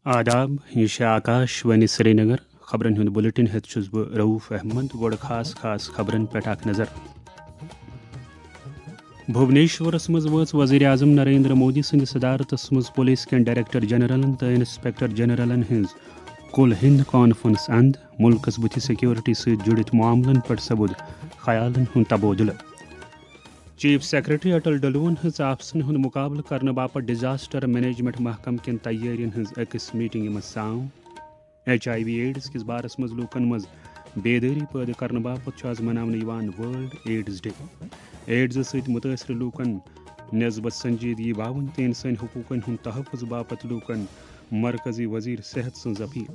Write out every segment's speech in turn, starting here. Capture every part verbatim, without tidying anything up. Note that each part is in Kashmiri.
آداب، یہِ چھِ آکاش وانی سرینگر۔ خبرن ہُنٛد بُلٹن ہیٚتھ چھُس بہٕ رؤف احمد۔ گۄڈٕ خاص خاص خبرن پٮ۪ٹھ اکھ نظر۔ بھونیشورس منٛز وٲژ وزیر اعظم نریندر مودی سٕنٛدِ صدارتس منٛز پولیس کٮ۪ن ڈائریکٹر جنرلن تہٕ انسپکٹر جنرلن ہٕنٛز کُل ہِنٛد کانفرنس اند۔ مُلکس بُتھِ سیکیورٹی سۭتۍ جُڑِتھ معاملن پٮ۪ٹھ سپُد خیالن ہُنٛد تبادلہٕ۔ چیف سیکرٹری اٹل ڈلون ہٕنٛز آفسن ہُنٛد مُقابلہٕ کرنہٕ باپتھ ڈیزاسٹر مینجمنٹ محکمہٕ کٮ۪ن تیٲرین ہٕنٛز أکِس میٹنگہِ منٛز سانگ۔ ایچ آئی وی ایڈز کِس بارس منٛز لوٗکن منٛز بیدٲری پٲدٕ کرنہٕ باپتھ چھُ آز مناونہٕ یِوان ورلڈ ایڈز ڈے۔ ایڈز سۭتۍ مُتٲثرٕ لوٗکن نسبت سنجیدگی باوٕنۍ تہٕ انسٲنی حقوٗقن ہُنٛد تحفظ باپتھ لوٗکن مرکزی وزیر صحت سٕنٛز اپیل۔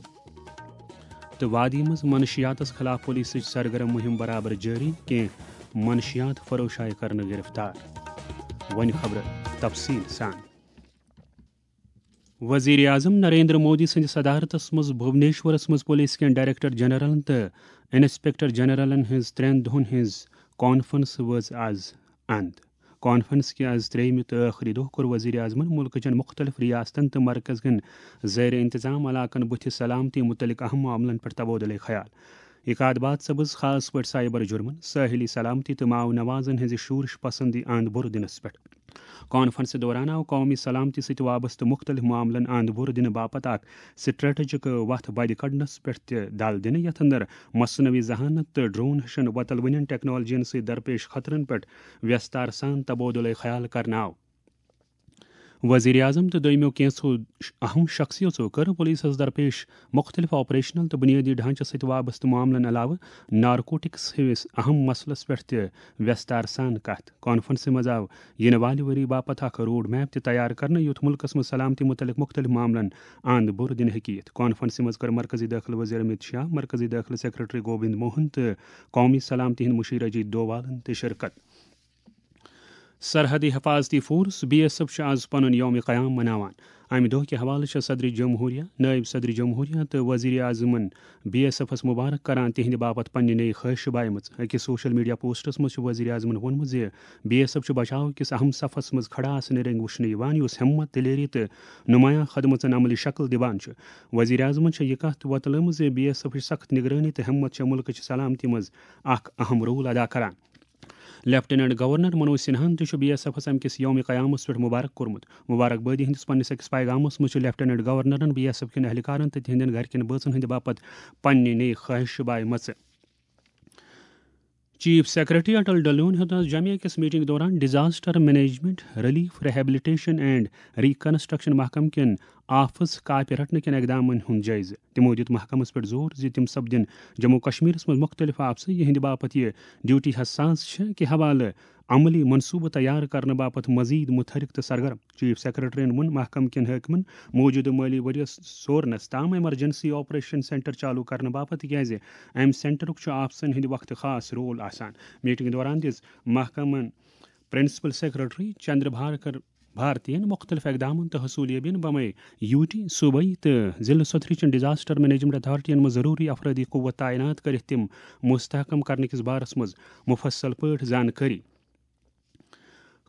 تہٕ وادی منٛز منشیاتس خلاف پولیسٕچ سرگرم مُہِم برابر جٲری، کینٛہہ منشیات فروش آیہِ کرنہٕ گرفتار۔ وۄنۍ خبرٕ تفصیٖل سان۔ وزیر اعظم نریندر مودی سٕنٛدِ صدارتس منٛز بھونیشورس منٛز پولیس کٮ۪ن ڈائریکٹر جنرلن تہٕ انسپکٹر جنرلن ہٕنٛز ترٛٮ۪ن دۄہن ہٕنٛز کانفرنس وٲژ آز اند۔ کانفرنس کہِ آز ترٛیٚیِمہِ تہٕ ٲخری دۄہ کوٚر وزیر اعظمن مُلکہٕ چٮ۪ن مُختٔلِف ریاستن تہٕ مرکز کٮ۪ن زیر انتظام علاقن بُتھِ سلامتی مُتعلق اہم معاملن پٮ۪ٹھ تبادلہٕ خیال۔ اقاد باد سپٕز خاص پٲٹھۍ سائبر جرمن، ساحلی سلامتی تہٕ ماو نوازن ہٕنٛزِ شورش پسندی اند بُرٕ دِنس پٮ۪ٹھ۔ کانفرنسہِ دوران آو قومی سلامتی سۭتۍ وابستہٕ مُختٔلِف معاملن اند بُرٕ دِنہٕ باپتھ اکھ سٹریٹجک وتھ بدِ کڑنس پٮ۪ٹھ تہِ دل دِنہٕ، یتھ اندر مصنوعی ذہانت تہٕ ڈرون ہِشن وۄتلوٕنٮ۪ن ٹیکنالوجین سۭتۍ درپیش خطرن پٮ۪ٹھ ویستار سان تبادلہٕ خیال کرنہٕ آو۔ وزیر اعظم تہٕ دوٚیمٮ۪و کینٛژھو اہم شخصیژو کٔر پولیسس درپیش مُختٔلِف آپریشنل تہٕ بُنیٲدی ڈھانچس سۭتۍ وابستہٕ معاملن علاوٕ نارکوٹکس ہِوِس اہم مسلس پٮ۪ٹھ تہِ ویستار سان کتھ۔ کانفرنسہِ منٛز آو یِنہٕ والہِ ؤری باپتھ اکھ روڈ میپ تہِ تیار کرنہٕ، یُتھ مُلکس منٛز سلامتی مُتعلق مُختٔلِف معاملن اند بُرٕ دِنہٕ ہیٚکہِ یِتھ۔ کانفرنسہِ منٛز کٔر مرکزی دٲخلہٕ وزیر امت شاہ، مرکزی دٲخلہٕ سیکرٹری گوبند موہن تہٕ قومی سلامتی ہٕنٛدۍ مُشیر اجیت ڈووالن تہِ شرکت۔ سرحدی حفاظتی فورس، بی ایس ایف، چھُ آز پنُن یوم قیام مناوان۔ امہِ دۄہ کہِ حوالہٕ چھِ صدر جمہوریہ، نائب صدر جمہوریہ تہٕ وزیر اعظمن بی ایس ایفس مبارک کران تِہنٛدِ باپتھ پننہِ نٔے خٲہشہٕ بایمٕژ۔ أکِس سوشل میڈیا پوسٹس منٛز چھُ وزیر اعظمن ووٚنمُت زِ بی ایس ایف چھُ بچاو کِس اہم صفس منٛز کھڑا آسنہٕ رٔنگۍ وٕچھنہٕ یِوان، یُس ہمت، دلیری تہٕ نمایاں خدمژن عملی شکل دِوان چھُ۔ وزیر اعظمن چھےٚ یہِ کتھ وۄتلٲومٕژ زِ بی ایس ایفٕچ سخت نگرٲنی تہٕ ہمت چھےٚ مُلکہٕ چہِ سلامتی منٛز اکھ اہم رول ادا کران۔ لیفٹیننٹ گورنر منوج سنہاہن تہِ چھُ بی ایس ایفس امہِ کِس یوم قیامس پٮ۪ٹھ مبارک کوٚرمُت۔ مبارک بٲدی ہٕنٛدِس پننِس أکِس پیغامس منٛز چھُ لیفٹیننٹ گورنرن بی ایس ایف کٮ۪ن اہلکارن تہٕ تِہنٛدٮ۪ن گرِکٮ۪ن بٲژن ہٕنٛدِ باپتھ پننہِ نٔے خٲہشہٕ بایمژٕ۔ چیف سیکرٹری اٹل ڈلون ہیوٚت آز جامعہ کِس میٹنگ دوران disaster management, relief, rehabilitation and reconstruction محکمہٕ کٮ۪ن آفس کاپہِ رٹنہٕ کٮ۪ن اقدامن ہُنٛد جٲیزٕ۔ تِمو دِیُت محکمس پٮ۪ٹھ زور زِ تِم سپدن جموں کشمیرس منٛز مُختٔلِف آفسہٕ، یِہنٛدِ باپتھ یہِ ڈیوٹی حساس چھےٚ کہِ حوالہٕ عملی منصوٗبہٕ تیار کرنہٕ باپتھ مزید متحرک تہٕ سرگرم۔ چیف سیکرٹریَن ووٚن محکمہٕ کٮ۪ن حٲکمَن موٗجوٗدٕ مٲلی ؤریَس سورنَس تام ایمرجنسی آپریشن سینٹر چالو کرنہٕ باپتھ، تِکیازِ اَمہِ سینٹرُک چھُ آفسَن ہٕنٛدِ وقتہٕ خاص رول آسان۔ میٹنگ دوران دِژ محکمَن پرنسپل سیکرٹری چندر بھارکر بھارتین مُختٔلِف اقدامن تہٕ حصوٗلیٲبین بمے یوٗٹی، صوبٲئی تہٕ ضلعہٕ سطحٕچن ڈیزاسٹر مینجمنٹ اتھارٹین منٛز ضروٗری افرٲدی قوت تعینات کٔرِتھ تِم مستحکم کرنہٕ کِس بارس منٛز مُفصل پٲٹھۍ زانکٲری۔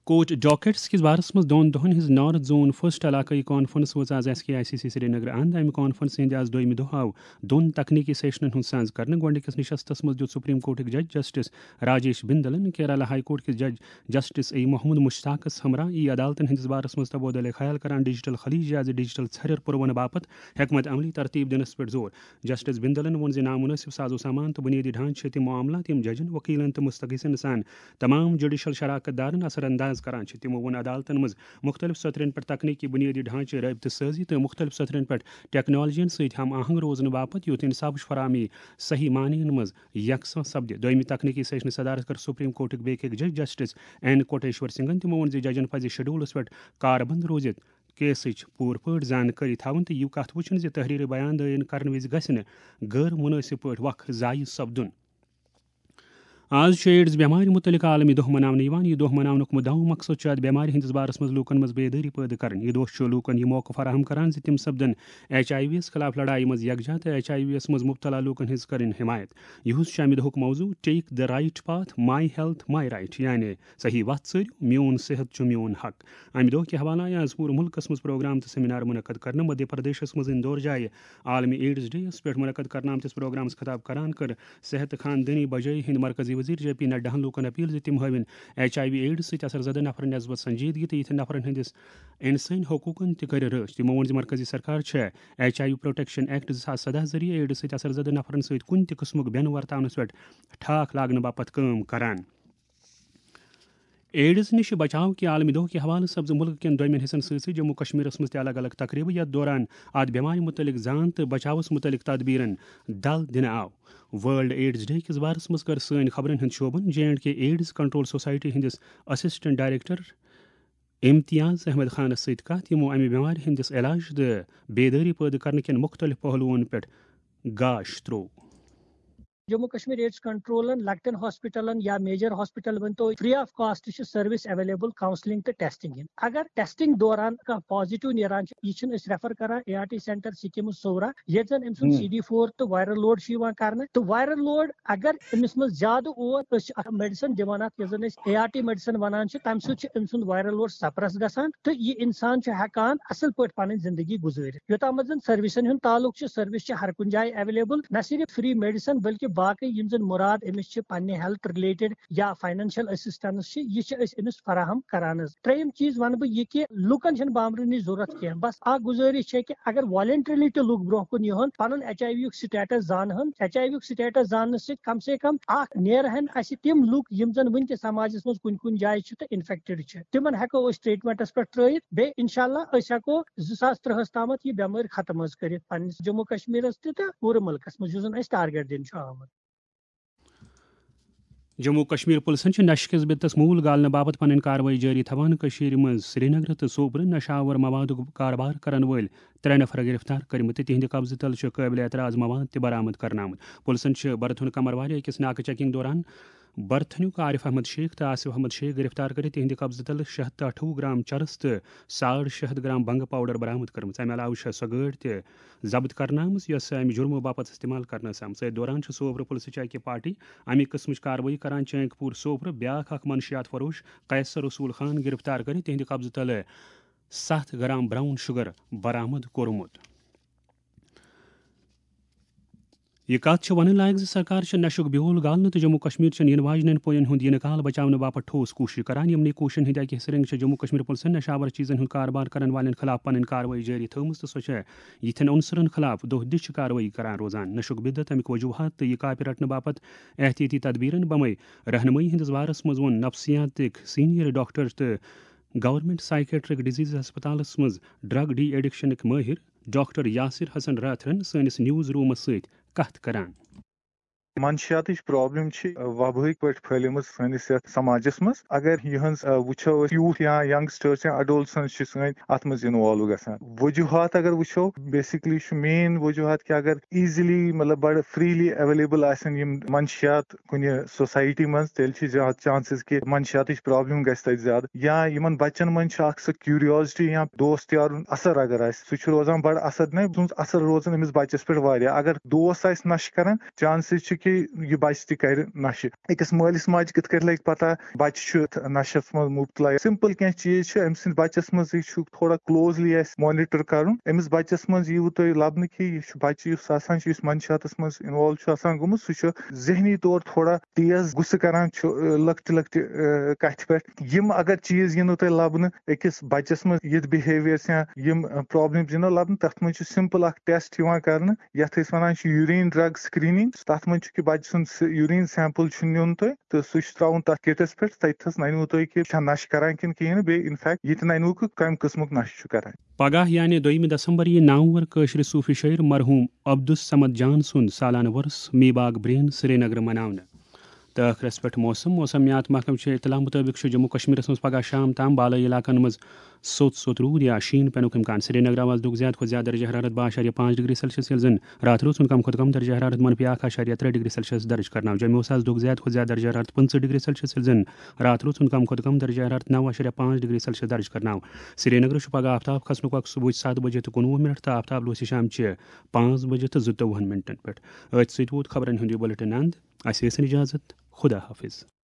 کوچ ڈاکٹس کِس بارس منٛز دۄن دۄہن ہٕنٛز نارتھ زون فرسٹ علاقٲیی کانفرنس وٲژ آز S K I C C Srinagar اند۔ امہِ کانفرنس ہٕنٛدِ آز دوٚیمہِ دۄہ آو دۄن تکنیکی سیشنن ہُنٛد سانز کرنہٕ۔ گۄڈٕنِکِس نشستس منٛز دیُت سپریم کورٹٕکۍ جج جسٹس راجیش بندلن، کیرالہ ہائی کورٹ کِس جج جسٹس اے محمد مشتاقس ہمراہ ای عدالتن ہٕنٛدِس بارس منٛز تبادلہ خیال کران ڈیجیٹل خلیج یازِ ڈیجیٹل ژھرٮ۪ر پُروانہٕ باپتھ حکمت عملی ترتیب دِنس پٮ۪ٹھ زور۔ جسٹس بندلن ووٚن زِ نامناسب ساز و سامان تہٕ بنیٲدی ڈھانچہٕ چھِ تِم معاملات یِم ججن، وکیلن تہٕ مستغیثن سان تمام جوڈیشل شراکت دارن اثر انداز کران چھِ۔ تِمو ووٚن عدالتن منٛز مُختٔلِف سطرن پٮ۪ٹھ تکنیکی بُنیٲدی ڈھانچہٕ، رٲبطہٕ سٲزی تہٕ مُختٔلِف سطرن پٮ۪ٹھ ٹیکنالوجین سۭتۍ ہم آہنگ روزنہٕ باپتھ، یُتھ انصافٕچ فراہمی صحیح معنی منٛز یکساں سپدِ۔ دوٚیمہِ تکنیکی سیشنٕچ صدارت کٔر سپریم کورٹٕکۍ بیٚیہِ أکۍ جج جسٹس این کوٹیشور سنگھن۔ تِمو ووٚن زِ ججن پزِ شیڈولس پٮ۪ٹھ کاربند روٗزِتھ کیسٕچ پوٗرٕ پٲٹھۍ زانکٲری تھاوٕنۍ تہٕ یہِ کتھ وٕچھُن زِ تحریری بیان دٲیِر کرنہٕ وِزِ گژھِ نہٕ غٲر مُنٲسِب پٲٹھۍ وقت ضایع سپدُن۔ آز چھُ ایڈز بٮ۪مارِ مُتعلِق عالمی دۄہ مناونہٕ یِوان۔ یہِ دۄہ مناونُک مُدعا مقصد چھُ اَتھ بٮ۪مارِ ہٕنٛدِس بارس منٛز لوٗکن منٛز بیدٲری پٲدٕ کرٕنۍ۔ یہِ دۄہ چھُ لوٗکن یہِ موقعہٕ فراہم کران زِ تِم سپدن ایچ آئی وی یس خلاف لڑایہِ منٛز یکجاہ تہٕ ایچ آئی وی یس منٛز مبتلا لوٗکن ہٕنٛز کرٕنۍ حمایت۔ یِہُس چھُ اَمہِ دۄہُک موضوع Take the Right Path، My Health, My Right، یعنی صحیح وتھ ژٲرِو، میون صحت چھُ میون حق۔ اَمہِ دۄہ کہِ حوالہٕ آیہِ آز پوٗرٕ مُلکَس منٛز پروگرام تہٕ سیمینار منعقد کرنہٕ۔ مدھیہ پردیشَس منٛز اِندور جایہِ عالمی ایڈز ڈے یَس پٮ۪ٹھ منعقد کرنہٕ آمتِس پروگرامَس خطاب کران کٔر صحت تہٕ خاندٲنی بجٲیی ہٕنٛدۍ مرکزی وزیر جے پی نڈاہَن لوٗکَن اپیل زِ تِم ہٲوِن ایچ آئی وی ایڈز سۭتۍ اثر زدٕ نفرَن نسبت سنجیدگی تہٕ یِتھٮ۪ن نفرَن ہٕنٛدِس اِنسٲنی حقوٗقَن تہِ کٔرِ رٲچھ۔ تِمو ووٚن زِ مرکزی سرکار چھےٚ H I V protection act زٕ ساس سداہ ذٔریعہٕ ایڈز سۭتۍ اثر زدٕ نفرَن سۭتۍ کُنہِ تہِ قٕسمُک بٮ۪ن ورتاونَس پٮ۪ٹھ ٹھاک لاگنہٕ باپتھ کٲم کران۔ ایڈز نِش بچاو کہِ عالمی دۄہ کہِ حوالہٕ سپزٕ مُلکہٕ کٮ۪ن دوٚیمٮ۪ن حصن سۭتۍ سۭتۍ جموں کشمیرس منٛز تہِ الگ الگ تقریبہٕ، یتھ دوران اتھ بٮ۪مارِ مُتعلق زان تہٕ بچاوس مُتعلق تدبیرن دل دِنہٕ آو۔ ورلڈ ایڈز ڈے کِس بارس منٛز کٔر سٲنۍ خبرن ہٕنٛدۍ شعبن J and K AIDS control society ہٕنٛدِس اسسٹنٹ ڈائریکٹر امتیاز احمد خانس سۭتۍ کتھ، یِمو امہِ بٮ۪مارِ ہٕنٛدِس علاج تہٕ بیدٲری پٲدٕ کرنہٕ کٮ۪ن مُختٔلِف پہلوون پٮ۪ٹھ گاش تروو۔ جموں کشمیر ایڈز کنٹرولن لۄکٹٮ۪ن ہاسپٹلن یا میجر ہاسپٹل ؤنۍ تو free of cost چھِ سروس اویلیبل کاؤنسلنگ تہٕ ٹیسٹنگ ہٕنٛد۔ اگر ٹیسٹنگ دوران کانٛہہ پازیٹیو نیران چھُ، یہِ چھِنہٕ أسۍ ریفر کران A R T centre schemes صورہ، ییٚتہِ زن أمۍ سُنٛد ہم۔ سی ڈی فور تہٕ وائرل لوڈ چھُ یِوان کرنہٕ، تہٕ وائرل لوڈ اگر أمِس منٛز زیادٕ اوس، أسۍ چھِ اکھ میڈیسن دِوان اتھ، یۄس زن أسۍ اے آر ٹی میڈیسن ونان چھِ، تمہِ سۭتۍ چھُ أمۍ سُنٛد وائرل لوڈ سپریس گژھان تہٕ یہِ انسان چھُ ہٮ۪کان اصل پٲٹھۍ پنٕنۍ زندگی گُزٲرِتھ۔ یوٚتام زن سروسن ہُنٛد تعلق چھُ، سروس چھِ ہر کُنہِ جایہِ اویلیبل، نہ صرف فری میڈیسن بلکہ باقی یِم زن مُراد أمِس چھِ پننہِ ہیلتھ رِلیٹڈ یا فاینانشل اسسٹنس چھِ، یہِ چھِ أسۍ أمِس فراہم کران حظ۔ ترٛیٚیِم چیٖز وَنہٕ بہٕ یہِ کہِ لُکن چھَنہٕ بامبرٕنٕچ ضروٗرت کینٛہہ، بس اکھ گُزٲرِش چھےٚ کہِ اگر والنٹریلی تہِ لُکھ برونٛہہ کُن یِہُن، پنُن ایچ آئی وی یُک سٹیٹس زانہن، ایچ آئی وی یُک سٹیٹس زاننہٕ سۭتۍ کم سے کم اکھ نیرہن اسہِ تِم لُکھ یِم زن وٕنہِ تہِ سماجس منٛز کُنہِ کُنہِ جایہِ چھِ تہٕ انفیکٹڈ چھِ، تِمن ہٮ۪کو أسۍ ٹریٹمنٹس پٮ۪ٹھ ترٲیِتھ۔ بیٚیہِ انشاءاللہ أسۍ ہٮ۪کو زٕ ساس ترٛہس تامتھ یہِ بٮ۪مٲرۍ ختم حظ کٔرِتھ پننِس جموں کشمیرس تہِ تہٕ پوٗرٕ مُلکس منٛز، یُس زن اَسہِ ٹارگیٹ دِنہٕ چھُ آمُت۔ جموں کشمیر پُلسن چھِ نشہٕ کِس بِتس موٗل گالنہٕ باپتھ پنٕنۍ کاروٲیی جٲری تھاوان۔ کٔشیٖرِ منٛز سرینگرٕ تہٕ سوپرٕ نشہٕ آور موادُک کاربار کرن وٲلۍ ترٛےٚ نفر گرفتار کٔرمٕتۍ تہٕ تِہنٛدِ قبضہٕ تل چھِ قٲبلِ اعتراض مواد تہِ برآمد کرنہٕ آمُت۔ پُلسن چھِ برتھُن کمروارِ أکِس ناکہٕ چیکنگ دوران برتھنیُک عارف احمد شیخ تہٕ آصف احمد شیخ گرفتار کٔرِتھ تِہنٛدِ قبضہٕ تل شےٚ ہتھ تہٕ ٲٹھوُہ گرام چرس تہٕ ساڑ شےٚ ہتھ گرام بنگہٕ پاؤڈر برآمد کٔرمٕژ۔ امہِ علاوٕ چھےٚ سۄ گٲڑۍ تہِ ضبط کرنہٕ آمٕژ، یۄس امہِ جُرمہٕ باپتھ استعمال کرنہٕ ٲس آمٕژ۔ أتھۍ دوران چھِ سوپرٕ پُلسٕچ اکہِ پارٹی امہِ قٕسمٕچ کاروٲیی کران۔ چینک پوٗر سوپرٕ بیاکھ اکھ منشیات فروش قیصر رسول خان گرفتار کٔرِتھ تِہنٛدِ قبضہٕ تلہٕ ستھ گرام براؤن شوگر برآمد کوٚرمُت۔ یہِ کتھ چھِ ونٕنۍ لایق زِ سرکار چھِ نشُک بیول گالنہٕ تہٕ جموں کشمیر چٮ۪ن یِنہٕ واجنٮ۪ن پوین ہُنٛد یِنہٕ کال بچاونہٕ باپتھ ٹھوس کوٗشش کران۔ یِمنٕے کوٗششن ہٕنٛدِ اکہِ حصہٕ رنگہِ چھِ جموں کشمیر پُلسن نشہٕ آور چیٖزن ہُنٛد کاربار کرن والٮ۪ن خلاف پنٕنۍ کاروٲیی جٲری تھٲومٕژ تہٕ سۄ چھےٚ یِتھٮ۪ن عنصرن خلاف دۄہ دِش کاروٲیی کران روزان۔ نشُک بدعت، امیُک وجوہات تہٕ یہِ کاپہِ رٹنہٕ باپتھ احتیاطی تدبیرن بمے رہنمٲیی ہٕنٛدِس بارس منٛز ووٚن نفسیاتٕکۍ سینئر ڈاکٹر تہٕ گورنمنٹ سائیکیٹرک ڈیزیز ہسپتالس منٛز ڈرگ ڈی ایڈکشنٕکۍ مٲہر ڈاکٹر یاسر حسن راتھرن سٲنِس نیوز رومس سۭتۍ کتھ کران۔ منشیاتٕچ پرابلم چھِ وبٲیِک پٲٹھۍ پھٔہلیمٕژ سٲنِس یتھ سماجس منٛز۔ اگر یِہنٛز، آ، وٕچھو أسۍ، یوٗتھ یا ینگسٹرز یا اڈولسنٹس چھِ سٲنۍ اتھ منٛز انوالو گژھان۔ وجوہات اگر وٕچھو، بیسکلی چھُ مین وجوہات کہِ اگر ایزیلی، مطلب، بڑٕ فریلی اویلیبل آسن یِم منشیات کُنہِ سوسایٹی منٛز، تیٚلہِ چھِ زیادٕ چانسز کہِ منشیاتٕچ پرابلم گژھِ تتہِ زیادٕ۔ یا یِمن بچن منٛز چھِ اکھ سۄ کیوریوسٹی یا دوست یارُن اثر اگر آسہِ، سُہ چھُ روزان بڑٕ اثر، نہ سُنٛد اثر روزان أمِس بچس پٮ۪ٹھ واریاہ۔ اگر دوست آسہِ نشہٕ کران، چانسز چھِ کہِ یہِ بچہِ تہِ کرِ نشہٕ۔ أکِس مٲلِس ماجہِ کِتھ کٲٹھۍ لگہِ پتہ بچہِ چھُ نشس منٛز مبتلا؟ سمپل کینٛہہ چیٖز چھِ أمۍ سٕنٛدِ بچس منٛز، یہِ چھُ تھوڑا کلوزلی اَسہِ مانیٹر کرُن۔ أمِس بچس منٛز یِیوٕ تۄہہِ لبنہٕ کہِ یہِ چھُ بچہِ یُس آسان چھُ، یُس منشیاتس منٛز انوالو چھُ آسان گوٚمُت، سُہ چھُ ذہنی طور تھوڑا تیز غصہٕ کران چھُ، ٲ، لۄکٹہِ لۄکٹہِ، ٲ، کتھِ پٮ۪ٹھ۔ یِم اگر چیٖز یِنو تۄہہِ لبنہٕ أکِس بچس منٛز، یِتھ بِہیویئرس یا یِم، ٲ، پرابلمز یِنو لبنہٕ، تتھ منٛز چھُ سمپل اکھ ٹیسٹ یِوان کرنہٕ، یتھ أسۍ ونان چھِ یوٗرین ڈرگ سکریننگ۔ تتھ منٛز چھُ کہِ بچہٕ سُنٛد س-، یوٗرین سیمپل چھُ نیُن تۄہہِ تہٕ سُہ چھُ ترٛاوُن تتھ کِٹس پٮ۪ٹھ، تتہِ تھس ننِوٕ تۄہہِ کہِ چھا نشہٕ کران کِنہٕ کِہیٖنۍ نہٕ، بیٚیہِ انفیکٹ یہِ تہِ ننِوٕ کہِ کمہِ قٕسمُک نشہٕ چھُ کران۔ پگاہ یعنی دوٚیمہِ دسمبر یِیہِ نامور کٲشرِ صوٗفی شٲعر مرحوٗم عبدالصمد جان سُنٛد سالانہٕ وۄرُس میٖباگ برین سرینگرٕ مناونہٕ۔ تہٕ ٲخرس پٮ۪ٹھ موسم۔ موسمیات محکمہٕ چھِ اطلاع مُطٲبِق چھُ جموں کشمیرس منٛز پگاہ شام تام بالٲیی علاقن منٛز سوٚت سوٚت روٗد یا شیٖن پینُک امکان۔ سرینگر آو آز دۄہُک زیادٕ کھۄتہٕ زیادٕ درجہ حرارت باہ اَشاریہ پانٛژھ ڈگری سیلسیس، ییٚلہِ زن راتھ روٗد سُنٛد کم کھۄتہٕ کم درجہ حرارت منفی اکھ اَشاریہ ترٛےٚ ڈگری سیلسیس درج کرنہٕ آو۔ جوٚمہِ اوس آز دۄہُک زیادٕ کھۄتہٕ زیادٕ درجہ حرارت پٕنٛژٕہ ڈگری سیلسیس، ییٚلہِ زن راتھ روٗد سُنٛد کم کھۄتہٕ کم درجہ حرارت نَو اَشاریہ پانٛژھ ڈگری سیلسیس درج کرنہٕ آو۔ سرینگرس چھُ پگہہ آفتاب کھسنُک وقت صبحٕچ ستھ بجے تہٕ کُنوُہ منٹ تہٕ آفتاب لوسہِ شامچہِ پانٛژھ بجے تہٕ زٕتووُہن منٹن پٮ۪ٹھ۔ أتھۍ سۭتۍ ووت خبرن ہُنٛد یہِ بُلٹن اند۔ اسہِ ٲسِن اجازت۔ خدا حافظ۔